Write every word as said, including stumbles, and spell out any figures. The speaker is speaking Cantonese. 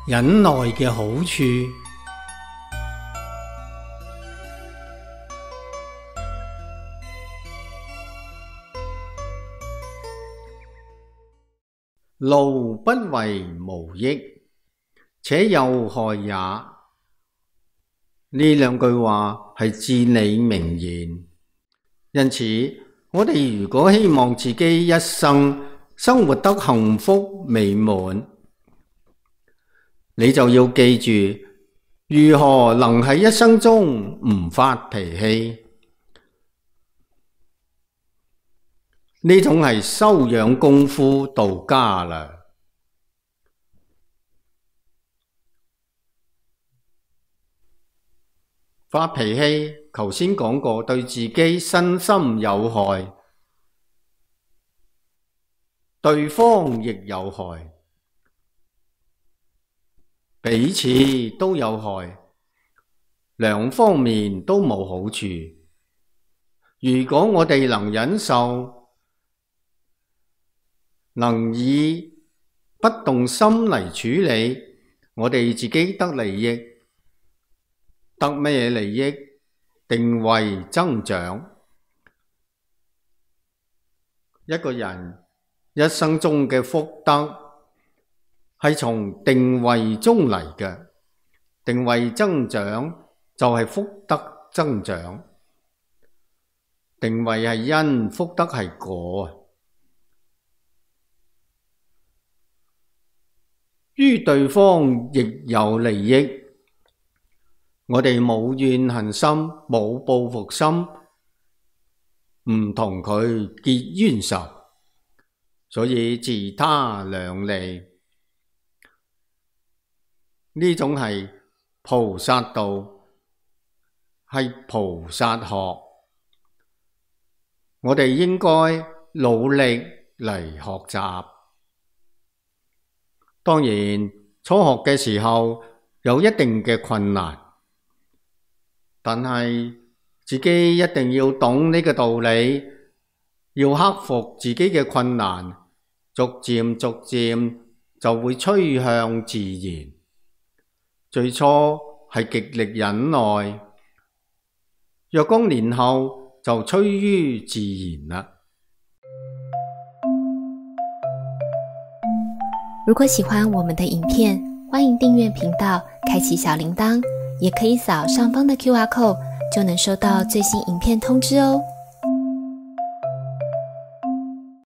忍耐嘅好處。怒不為無益，且有害也。呢兩句話係至理名言，因此我哋如果希望自己一生生活得幸福美滿，你就要記住如何能喺一生中唔發脾氣。呢種係修養功夫到家啦。發脾氣，頭先講過，對自己身心有害，對方亦有害，彼此都有害，兩方面都冇好處。如果我哋能忍受，能以不動心嚟處理，我哋自己得利益，得咩利益？定慧增長。一個人一生中嘅福德係從定慧中嚟嘅，定慧增長就係福德增長。定慧係因，福德係果。於對方亦有利益，我哋冇怨恨心，冇報復心，唔同佢結冤仇，所以自他兩利。呢種係菩薩道，係菩薩學，我哋應該努力嚟學習。當然，初學嘅時候有一定嘅困難，但係自己一定要懂呢個道理，要克服自己嘅困難，逐漸逐漸就會趨向自然。最初係極力忍耐，若干年後就趨於自然啦。如果喜歡我們的影片，歡迎訂閱頻道，開啟小鈴鐺，也可以掃上方的 Q R code，就能收到最新影片通知哦。